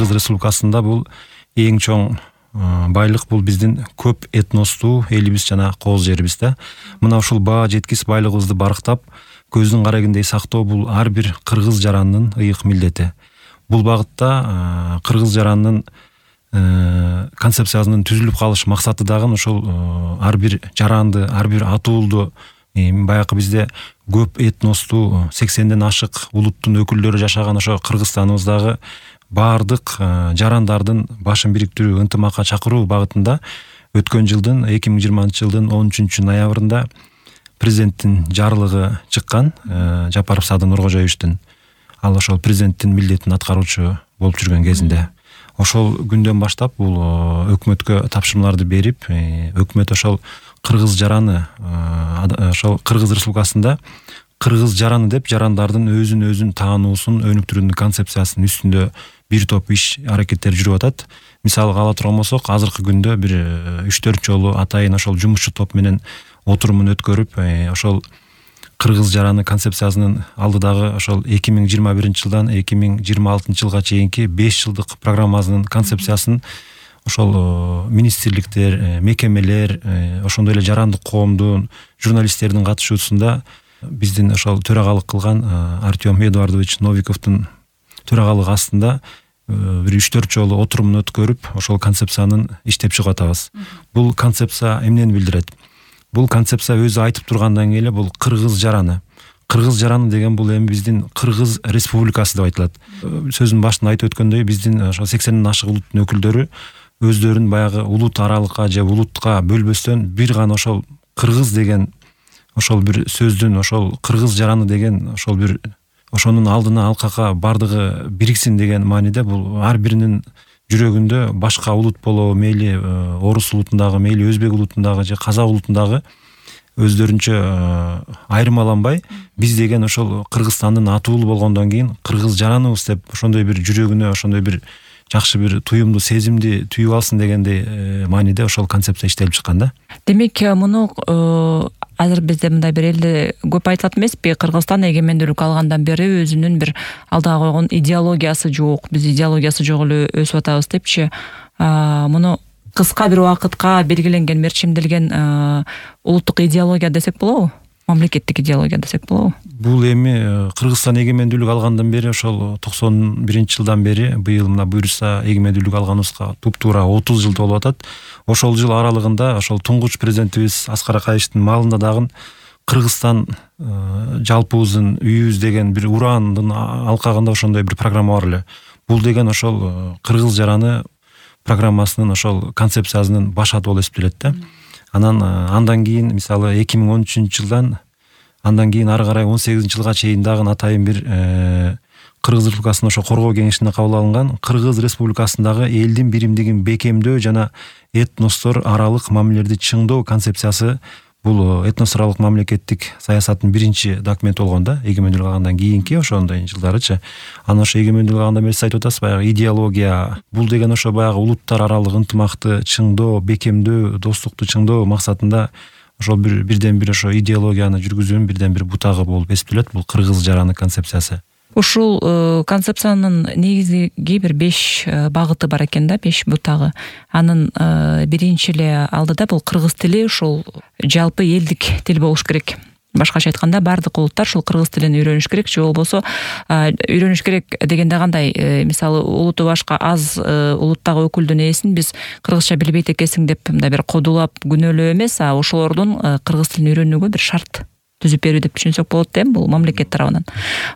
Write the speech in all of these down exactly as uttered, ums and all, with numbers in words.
Кыргыз Республикасында бул эң чоң байлык бул биздин көп этностуу элибиз жана кооз жерибиз да. Мына ушул баа жеткис байлыгыбызды барктап, көздүн карагендей сактоо бул ар бир кыргыз жаранынын ыйык милдети. Бул багытта кыргыз жаранынын концепциясынын түзүлүп калыш максаты дагы ошол ар бир жаранды, ар бир атуулду, баягы бизде көп этностуу сексенден ашык улуттун өкүлдөрү жашаган ошо Кыргызстаныбыздагы баардык жарандардын башын бириктирүү, ынтымакка чакыруу багытында өткөн жылдын эки миң жыйырманчы жылдын он үчүнчү ноябрында президенттин жарлыгы чыккан, Жапаров Садыр Нуркожоевичтин. Ал ошол президенттин милдетин аткаруучу болуп жүргөн кезинде. Ошол күндөн баштап бул өкмөткө тапшырмаларды берип, өкмөт ошол кыргыз жараны, ошол Кыргыз Республикасында кыргыз жараны деп жарандардын өзүн өзүн таануусун өнүктүрүүнүн концепциясынын үстүндө бир топ иш аракеттер жүрүп атат. Мисалга ала турган болсок, азыркы күндө бир үч төрт жолу атайын ошол жумушчу топ менен отурумун өткөрүп, ошол кыргыз жараны концепциясынын алдыдагы ошол эки миң жыйырма биринчи жылдан эки миң жыйырма алтынчы жылга чейинки беш жылдык программасынын концепциясын ошол министрликтер, мекемелер, ошондой эле жарандык коомдун журналисттердин катышуусунда биздин ошол төрагалык кылган Артем Эдуардович Новиковдун төрагалыгы астында бир үч төрт жолу отурумун өткөрүп, ошол концепциянын иштеп чыгып атабыз. Бул концепция эмнени билдирет? Бул концепция өзү айтып тургандан келе бул кыргыз жараны. Кыргыз жараны деген бул эми биздин Кыргыз Республикасы деп айтылат. Сөзүн башында айтып өткөндөй, биздин ошо сексенден ашык улуттун өкүлдөрү өздөрүн баягы улут аралыкка же улутка бөлбөстөн бир гана ошол кыргыз деген ошол бир сөздүн, ошол кыргыз жараны деген ошол бир ошонун алдына алкакка бардыгы бириксин деген мааниде бул ар биринин жүрөгүндө башка улут болобу, мейли орус улутундагы, мейли өзбек улутундагы же казак улутундагы өздөрүнчө айырмаланбай, биз деген ошол Кыргызстандын атуулу болгондон кийин кыргыз жараныбыз деп ошондой бир жүрөгүнө ошондой бир жакшы бир туюмду, сезимди түйүп алсын дегендей мааниде ошол концепция иштелип чыккан да. Демек, муну азыр бизде мындай бир элде көп айтылат эмеспи? Кыргызстан эгемендүүлүк алгандан бери өзүнүн бир алдыга койгон идеологиясы жок, биз идеологиясы жок эле өсүп атабыз депчи. Муну кыска бир убакытка белгиленген, мерчимделген улуттук идеология десек болобу? Мамлекеттик идеология десек болобу? Бул эми Кыргызстан эгемендүүлүк алгандан бери, ошол токсон биринчи жылдан бери, быйыл мына буюрса эгемендүүлүк алганыбызга туп-туура отуз жыл болуп атат. Ошол жыл аралыгында ошол туңгуч президентибиз Аскар Акаевичтин маалында дагы Кыргызстан жалпыбыздын үйүбүз деген бир ураандын алкагында ошондой бир программа бар эле. Бул деген ошол кыргыз жараны программасынын ошол концепциясынын баш аты болуп эсептелет да. Анан андан кийин мисалы эки миң он үчүнчү жылдан андан кийин ары карай он сегизинчи жылга чейин дагы атайын бир Кыргыз Республикасынын ошо коргоо кеңешине кабыл алынган Кыргыз Республикасындагы элдин биримдигин бекемдөө жана этностор аралык мамилелерди чыңдоо концепциясы. Бул этнос аралык мамлекеттик саясаттын биринчи документи болгон да, эгемендүүлүк алгандан кийинки ошондой жылдарычы. Анан ошо эгемендүүлүк алгандан бери сиз айтып атасыз, баягы идеология. Бул деген ошо баягы улуттар аралык ынтымакты чыңдоо, бекемдөө, достукту чыңдоо максатында ошол бир бирден бир ошо идеологияны жүргүзүүнүн бирден бир бутагы болуп эсептелет бул кыргыз жараны концепциясы. Ушул концепциянын негизги бир беш багыты бар экен да, беш бутагы. Анын биринчи эле алдыда бул кыргыз тили ушул жалпы элдик тил болуш керек. Башкача айтканда, бардык улуттар ушул кыргыз тилин үйрөнүш керек, же болбосо үйрөнүш керек дегенде кандай? Мисалы, улуту башка аз улуттагы өкүлдүн ээсин биз кыргызча билбейт экенсиң деп мындай бир кодулап, күнөөлөө эмес, а ошолордун кыргыз тилин үйрөнүүгө бир шарт түзүп берүү деп түшүнсөк болот да, бул мамлекет тарабынан.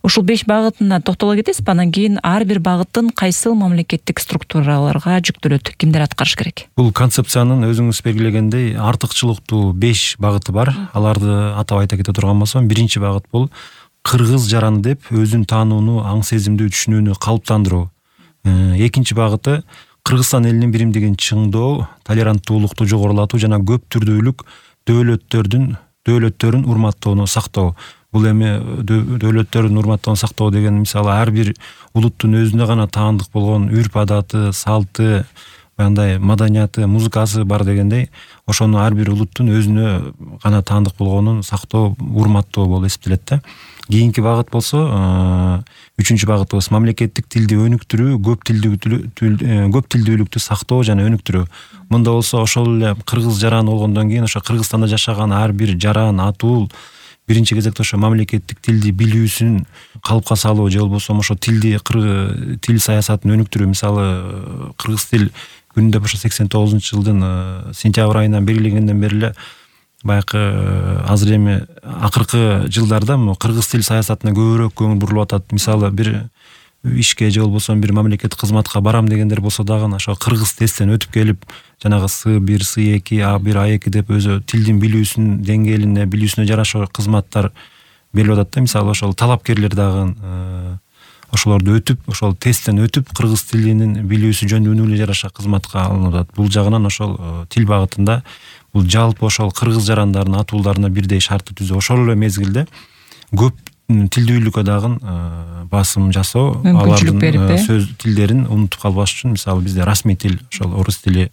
Ушул беш багытына токтоло кетесизби? Анан кийин ар бир багыттын кайсыл мамлекеттик структураларга жүктөлөт, кимдер аткарыш керек? Бул концепциянын өзүңүз белгилегендей артыкчылыктуу беш багыты бар. Аларды атап айта кете турган болсом, биринчи багыт бул кыргыз жараны деп өзүн таанууну, аң сезимди түшүнүүнү калыптандыруу. Экинчи багыты Кыргызстан элинин биримдигин чыңдоо, толеранттуулукту жогорулатуу жана көп түрдүүлүк дөөлөттөрдүн дөөлөттөрүн урматтоону сактоо. Бул эми дөөлөттөрүн урматтоону сактоо деген мисалы ар бир улуттун өзүнө гана таандык болгон үрп адаты, салты, мындай маданияты, музыкасы бар дегендей, ошону ар бир улуттун өзүнө гана таандык болгонун сактоо, урматтоо болуп эсептелет да. Кийинки багыт болсо үчүнчү багыт болсо мамлекеттик тилди өнүктүрүү, көп тилдүүлүктү көп тилдүүлүктү сактоо жана өнүктүрүү. Мында болсо ошол эле кыргыз жараны болгондон кийин ошо Кыргызстанда жашаган ар бир жаран, атуул биринчи кезекте ошо мамлекеттик тилди билүүсүн калыпка салуу же болбосо ошо тилди тил саясатын өнүктүрүү. Мисалы кыргыз тил күнү деп ошо сексен тогузунчу жылдын сентябрь айынан белгиленгенден бери эле баягы азыр эми акыркы жылдарда кыргыз тил саясатына көбүрөөк көңүл бурулуп атат. Мисалы бир ишке же болбосо бир мамлекеттик кызматка барам дегендер болсо дагы ошо кыргыз тесттен өтүп келип, жанагы С бир, С эки, А бир, А эки деп өзү тилдин билүүсүнүн деңгээлине, билүүсүнө жараша кызматтар берилип атат да. Мисалы ошол талапкерлер дагы ошолорду өтүп, ошол тесттен өтүп кыргыз тилинин билүүсү жөнүнө жараша кызматка алынып атат. Бул жагынан ошол тил багытында бул жалпы ошол кыргыз жарандарынын, атуулдарына бирдей шартты түзүү, ошол эле мезгилде көп тилдүүлүккө дагы басым жасоо, алардын сөз тилдерин унутуп калбаш үчүн. Мисалы бизде расмий тил ошол орус тили,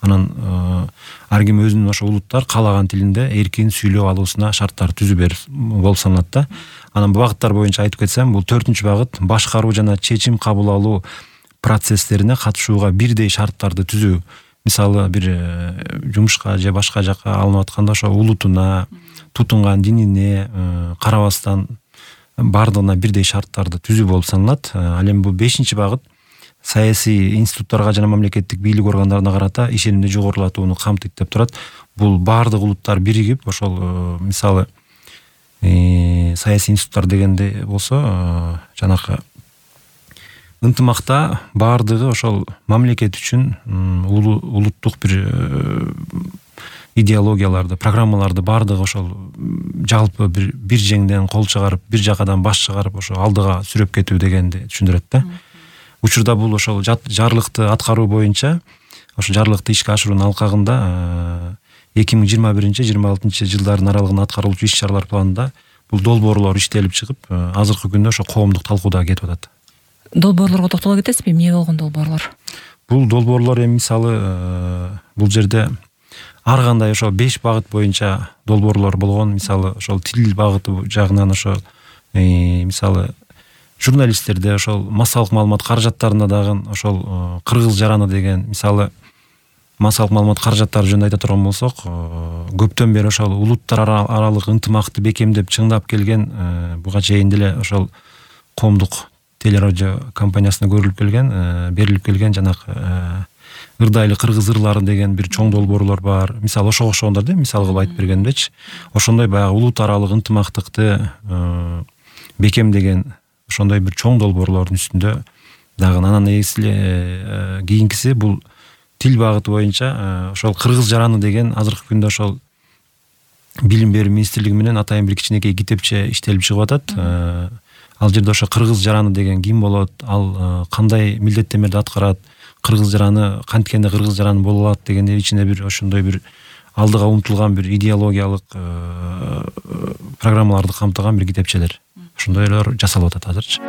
анан ар ким өзүнүн ошо улуттар каалаган тилинде эркин сүйлөп алуусуна шарттар түзүү берип болуп саналат да. Анан бул багыттар боюнча айтып кетсем, бул төртүнчү багыт башкаруу жана чечим кабыл алуу процесстерине катышууга бирдей шарттарды түзүү. Мисалы бир жумушка же башка жака алынып атканда ошо улутуна, тутунган динине карабастан бардыгына бирдей шарттарды түзүү болуп саналат. Ал эми бул бешинчи багыт саясий институттарга жана мамлекеттик бийлик органдарына карата ишенимди жогорулатууну камтыйт деп турат. Бул бардык улуттар биригип ошол мисалы саясий институттар дегенде болсо жанакы ынтымакта бардыгы ошол мамлекет үчүн улуттук бир идеологияларды, программаларды бардыгы ошол жалпы бир бир жеңден кол чыгарып, бир жакадан баш чыгарып ошо алдыга сүрөп кетүү дегенди түшүндүрөт да. Учурда бул ошол жарлыкты аткаруу боюнча, ошо жарлыкты ишке ашыруунун алкагында эки миң жыйырма биринчи жыйырма алтынчы жылдардын аралыгында аткарылуучу иш чаралар планында бул долбоорлор иштелип чыгып, азыркы күндө ошо коомдук талкууда кетип атат. Долбоорлорго токтоло кетесизби? Эмне болгон долбоорлор? Бул долбоорлор эми мисалы бул жерде ар кандай ошо беш багыт боюнча долбоорлор болгон. Мисалы ошол тил багыты жагынан ошо мисалы журналисттерде ошол массалык маалымат каражаттарында дагы ошол кыргыз жараны деген, мисалы массалык маалымат каражаттары жөнүндө айта турган болсок, көптөн бери ошол улуттар аралык ынтымакты бекемдеп чыңдап келген, буга чейин деле ошол коомдук телерадио компаниясына көрүлүп келген, берилип келген жанакы ырдайлы кыргыз ырлары деген бир чоң долбоорлор бар. Мисалы ошого окшогондор да, мисал кылып айтып бергендечи. Ошондой баягы улут аралык ынтымактыкты бекемдеген ошондой бир чоң долбоорлордун үстүндө дагы. Анан эсиле кийинкиси бул тил багыты боюнча ошол кыргыз жараны деген азыркы күндө ошол билим берүү министрлиги менен атайын бир кичинекей китепче иштелип чыгып атат. Ал жерде ошо кыргыз жараны деген ким болот, ал кандай милдеттенмелерди аткарат, кыргыз жараны канткенде кыргыз жараны боло алат дегенде ичинде бир ошондой бир алдыга умтулган бир идеологиялык программаларды камтыган бир китепчелер. Ошондойлор жасалып атат азырчы.